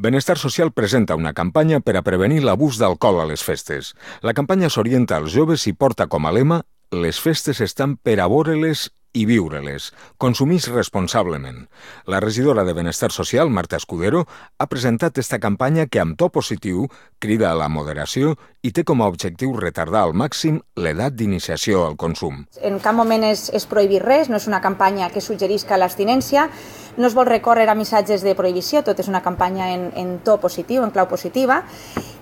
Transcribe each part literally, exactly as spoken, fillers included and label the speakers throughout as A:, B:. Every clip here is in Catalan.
A: Benestar Social presenta una campanya per a prevenir l'abús d'alcohol a les festes. La campanya s'orienta als joves i porta com a lema «Les festes estan per a vore-les i viure-les. Consumís responsablement». La regidora de Benestar Social, Marta Escudero, ha presentat esta campanya que, amb to positiu, crida a la moderació i té com a objectiu retardar al màxim l'edat d'iniciació al consum.
B: En cap moment és, és prohibir res, no és una campanya que suggerisca l'abstinència, no es vol recórrer a missatges de prohibició, tot és una campanya en, en to positiu, en clau positiva,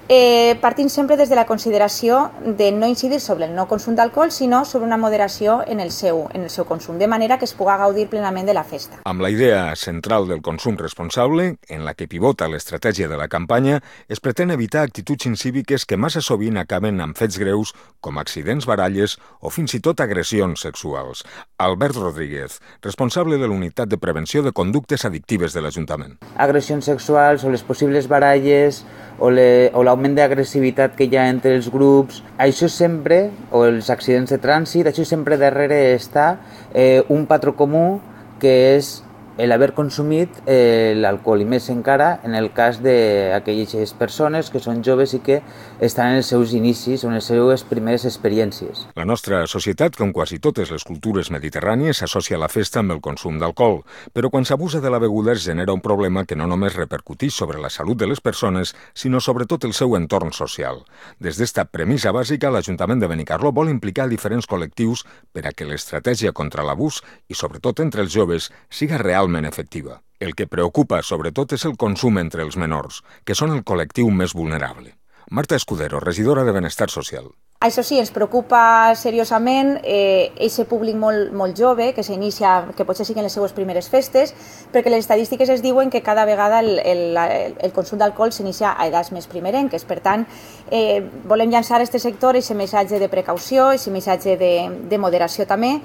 B: eh, partint sempre des de la consideració de no incidir sobre el no consum d'alcohol, sinó sobre una moderació en el seu, en el seu consum, de manera que es puga gaudir plenament de la festa.
A: Amb la idea central del consum responsable, en la que pivota l'estratègia de la campanya, es pretén evitar actituds incíviques que massa sovint acaben amb fets greus com accidents, baralles o fins i tot agressions sexuals. Albert Rodríguez, responsable de l'Unitat de Prevenció de Conductes Addictives de l'Ajuntament.
C: Agressions sexuals o les possibles baralles o l'augment d'agressivitat que hi ha entre els grups, això sempre, o els accidents de trànsit, això sempre darrere està eh, un patró comú que és l'haver consumit eh, l'alcohol, i més encara en el cas d'aquelles persones que són joves i que estan en els seus inicis o en les seves primeres experiències.
A: La nostra societat, com quasi totes les cultures mediterrànies, s'associa la festa amb el consum d'alcohol, però quan s'abusa de la beguda es genera un problema que no només repercuteix sobre la salut de les persones, sinó sobretot el seu entorn social. Des d'esta premissa bàsica, l'Ajuntament de Benicarló vol implicar diferents col·lectius per a que l'estratègia contra l'abús, i sobretot entre els joves, siga real efectiva. El que preocupa, sobretot, és el consum entre els menors, que són el col·lectiu més vulnerable. Marta Escudero, regidora de Benestar Social.
B: Això sí, ens preocupa seriosament eh, aquest públic molt, molt jove que s'inicia, que potser siguin les seues primeres festes, perquè les estadístiques es diuen que cada vegada el, el, el consum d'alcohol s'inicia a edats més primerenques. Per tant, eh, volem llançar a aquest sector aquest missatge de precaució, aquest missatge de, de moderació també,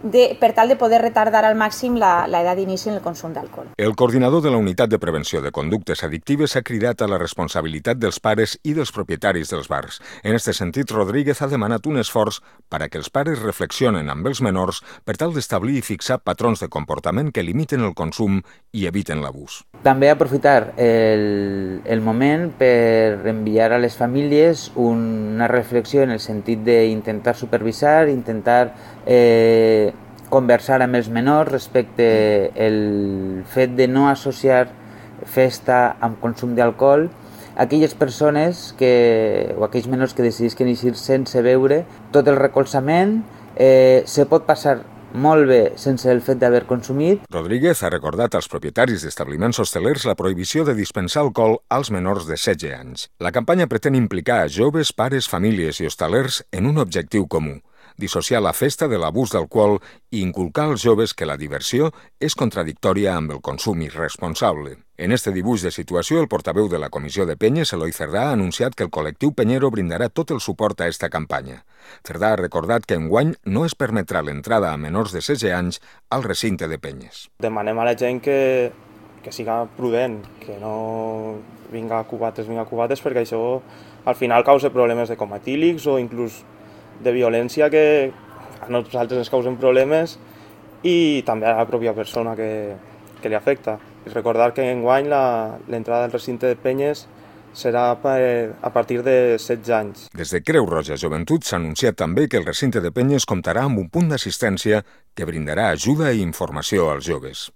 B: De, per tal de poder retardar al màxim l'edat d'inici en el consum d'alcohol.
A: El coordinador de la Unitat de Prevenció de Conductes Addictives ha cridat a la responsabilitat dels pares i dels propietaris dels bars. En aquest sentit, Rodríguez ha demanat un esforç per a que els pares reflexionen amb els menors per tal d'establir i fixar patrons de comportament que limiten el consum i eviten l'abús.
C: També aprofitar el, el moment per enviar a les famílies una reflexió en el sentit d'intentar supervisar, intentar eh, conversar amb els menors respecte el fet de no associar festa amb consum d'alcohol. Aquelles persones que, o aquells menors que decidisquen eixir sense beure, tot el recolzament eh, se pot passar molt bé sense el fet d'haver consumit.
A: Rodríguez ha recordat als propietaris d'establiments hostelers la prohibició de dispensar alcohol als menors de setze anys. La campanya pretén implicar a joves, pares, famílies i hostalers en un objectiu comú: dissociar la festa de l'abús d'alcohol i inculcar als joves que la diversió és contradictòria amb el consum irresponsable. En este dibuix de situació, el portaveu de la Comissió de Penyes, Eloi Cerdà, ha anunciat que el col·lectiu penyero brindarà tot el suport a esta campanya. Cerdà ha recordat que enguany no es permetrà l'entrada a menors de setze anys al recinte de penyes.
D: Demanem a la gent que, que siga prudent, que no vinga a cubates, vinga a cubates, perquè això al final causa problemes de coma etílics o inclús de violència que a nosaltres ens causen problemes i també a la pròpia persona que, que li afecta. I recordar que enguany l'entrada al recinte de penyes serà per, a partir de setze anys.
A: Des de Creu Roja Joventut s'ha anunciat també que el recinte de penyes comptarà amb un punt d'assistència que brindarà ajuda i informació als joves.